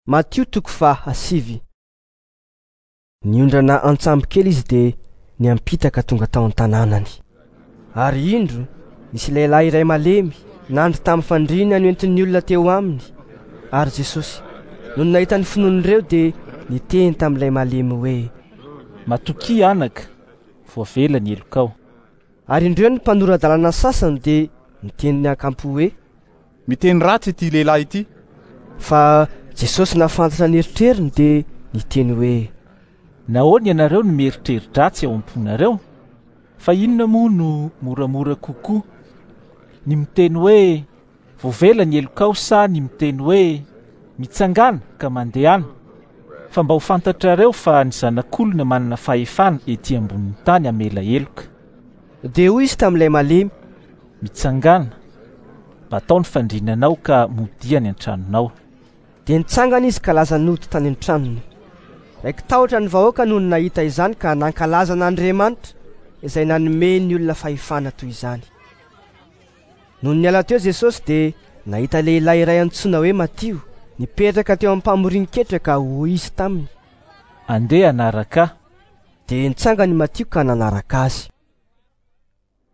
Matio toko faha-9. Niondrana an-tsambo kely izy dia niampita ka tonga tao an-tanànany. Ary indro, nisy lehilahy iray malemy nandry tamin'ny fandriana noentin'ny olona teo aminy. Ary Jesosy, nony nahita ny finoan'ireo, dia niteny tamin'ilay malemy hoe: Matokia anaka, voavela ny helokao. Ary indreo ny mpanora-dalàna sasany dia niteny niakampo hoe: Miteny ratsy ity lehilahy ity. Fa Jesosy nahafantatra ny eritreriny dia niteny hoe: Nahoana ianareo no mieritreri-dratsy ao am-ponareo? Fa inona moa no moramora kokoa? Ny miteny hoe: Voavela ny helokao, sa ny miteny hoe: Mitsangàna ka mandehana? Fa mba ho fantatrareo fa ny Zanak'olona manana fahefana ety ambonin'ny tany hamela heloka. Dia hoy izy tamin'ilay malemy: Mitsangàna, batao ny fandrinanao ka modia any an-tranonao. Dia nitsangana izy ka lasa nody tany an-tranony. Raiki-tahotra ny vahoaka nony nahita izany ka nankalaza an'Andriamanitra izay nanome ny olona fahefana toy izany. Nony niala teo Jesosy dia nahita lehilahy iray antsoina hoe Matio nipetraka teo am-pamorin-ketra ka hoy izy taminy: Andeha hanaraka ahy. Dia nitsangana i Matio ka nanaraka azy.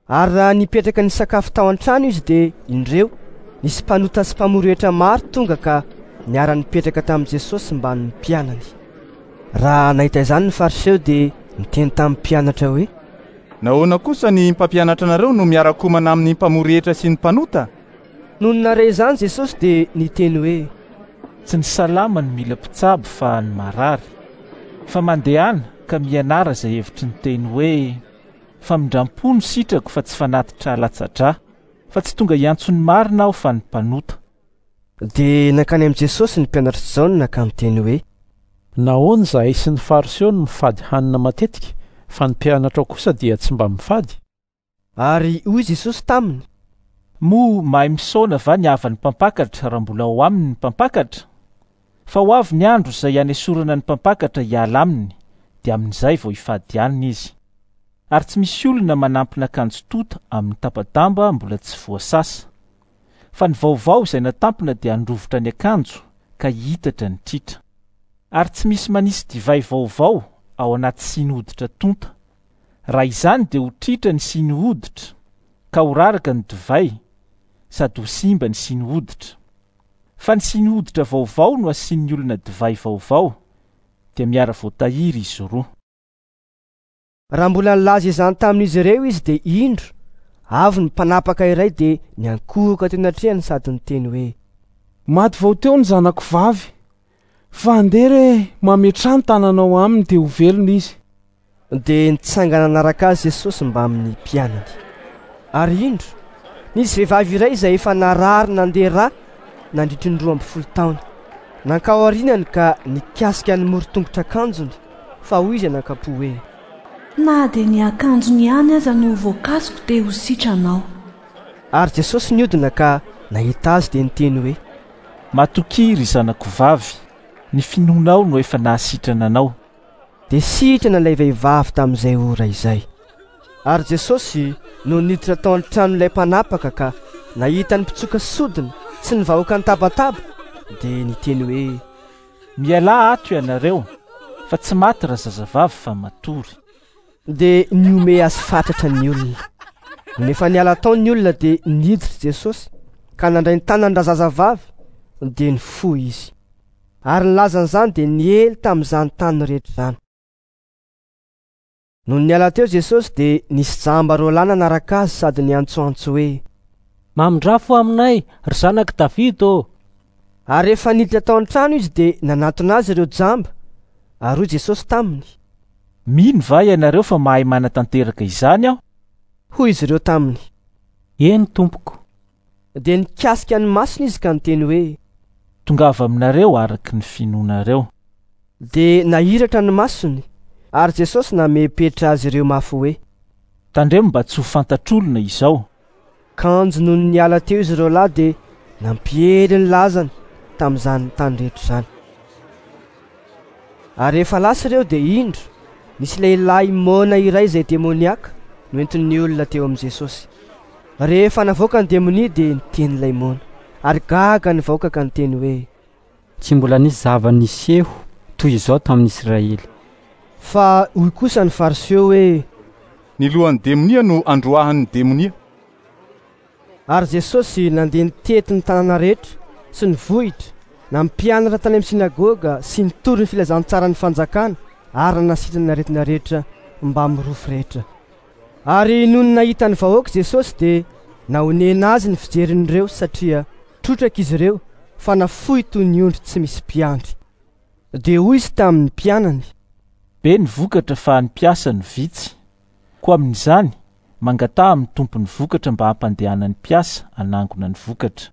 Ary raha nipetraka nisakafo tao an-trano izy dia indreo nisy mpanota sy mpamory hetra maro tonga ka niara-nipetraka tamin'i Jesosy mbamin'ny mpianany. Raha nahita izany ny Fariseo dia niteny tamin'ny mpianatra hoe: Nahoana kosa ny mpampianatra anareo no miara-komana amin'ny mpamory hetra sy ny mpanota? Nony nahare izany Jesosy dia niteny hoe: Tsy ny salama no mila mpitsabo fa ny marary. Fa mandehana ka mianara izay hevitry ny teny hoe: Famindram-po no sitrako fa tsy fanatitra latsa-drà, fa tsy tonga hiantso ny marina aho fa ny mpanota. Dia nankany amin'i Jesosy ny mpianatr'i Jaona ka niteny hoe: Nahoana izahay sy ny Fariseo no mifady hanina matetika, fa ny mpianatrao kosa dia tsy mba mifady? Ary hoy Jesosy taminy: Moa mahay misaona va ny havan'ny mpampakatra raha mbola ao aminy ny mpampakatra? Fa ho avy ny andro izay hanesorana ny mpampakatra hiala aminy, dia amin'izay vao hifady hanina izy. Ary tsy misy olona manampina akanjo tonta amin'ny tapa-damba mbola tsy voasasa. Fa ny vaovao izay natampina dia handrovitra ny akanjo ka hihitatra ny tritra. Ary tsy misy manisy divay vaovao ao anaty siny hoditra tonta. Raha izany dia ho tritra ny siny hoditra, ka ho raraka ny divay, sady ho simba ny siny hoditra. Fa ny siny hoditra vaovao no asian'ny olona divay vaovao, dia miara-voatahiry izy roa. Raha mbola nilaza izany tamin'izy ireo izy dia indro, avy ny mpanapaka iray dia niankohoka teo anatrehany sady niteny hoe: Maty vao teo ny zanako vavy, fa andeha re mametraha ny tananao aminy dia ho velona izy. Dia nitsangana nanaraka azy Jesosy mbamin'ny mpianany. Ary indro, nisy vehivavy iray izay efa narary nandeha rà nandritry ny 12 taona. Nankao aorianany ka nikasika ny moron-tongotr'akanjony, fa hoy izy anakam-po hoe: Na dia ny akanjony ihany aza no voakasiko dia ho sitrana aho. Ary Jesosy niodina ka nahita azy dia niteny hoe: Matokia, ry zanako vavy, ny finoanao no efa nahasitrana anao. Dia sitrana ilay vehivavy tamin'izay ora izay. Ary Jesosy no niditra tao an-tranon'ilay mpanapaka ka nahita ny mpitsoka sodina sy ny vahoaka nitabataba, dia niteny hoe: Mialà ato ianareo, fa tsy maty razazavavy fa matory. Dia nihomehy azy fatratra ny olona. Nony efa niala tao ny olona dia niditra Jesosy ka nandray ny tanany razazavavy, dia nifoha izy. Ary ny lazan'izany dia niely tamin'izany tany rehetra izany. Nony niala teo Jesosy dia nisy jamba roa lahy nanaraka azy sady niantsoantso hoe: Mamindrafo aminay, ry zanak'i Davida ô! Ary rehefa niditra tao an-trano izy dia nanatona azy ireo jamba, ary hoy Jesosy taminy: Mino va ianareo fa mahay manatanteraka izany aho? Hoy izy ireo taminy: Eny, tompoko. Dia nikasika ny masony izy ka niteny hoe: Tongava aminareo araka ny finoanareo. Dia nahiratra ny masony, ary Jesosy namepetra azy ireo mafy hoe: Tandremo mba tsy ho fantatr'olona izao. Kanjo nony niala teo izy ireo lahy dia nampiely ny lazany tamin'izany tany rehetra izany. Ary rehefa lasa ireo dia indro, nisy lehilahy moana iray izay demoniaka noentin'ny olona teo amin'i Jesosy. Rehefa navoaka ny demonia dia niteny ilay moana, ary gaga ny vahoaka ka niteny hoe: Tsy mbola nisy zava-niseho toy izao tamin'ny Israely. Fa hoy kosa ny Fariseo hoe: Ny lohan'ny demonia no androahany ny demonia. Ary Jesosy nandeha nitety ny tanàna rehetra sy ny vohitra, nampianatra tany amin'ny synagoga sy nitory ny filazantsaran'ny fanjakana ary nanasitrana ny aretina rehetra mbamin'ny rofy rehetra. Ary nony nahita ny vahoaka Jesosy dia nahonena azy ny fijerin'ireo satria trotraka izy ireo fa nafoy toy ny ondry tsy misy mpiandry. Dia hoy izy tamin'ny mpianany: Be ny vokatra fa ny mpiasa no vitsy. Koa amin'izany, mangataha amin'ny Tompon'ny vokatra mba hampandehanany mpiasa hanangona ny vokatra.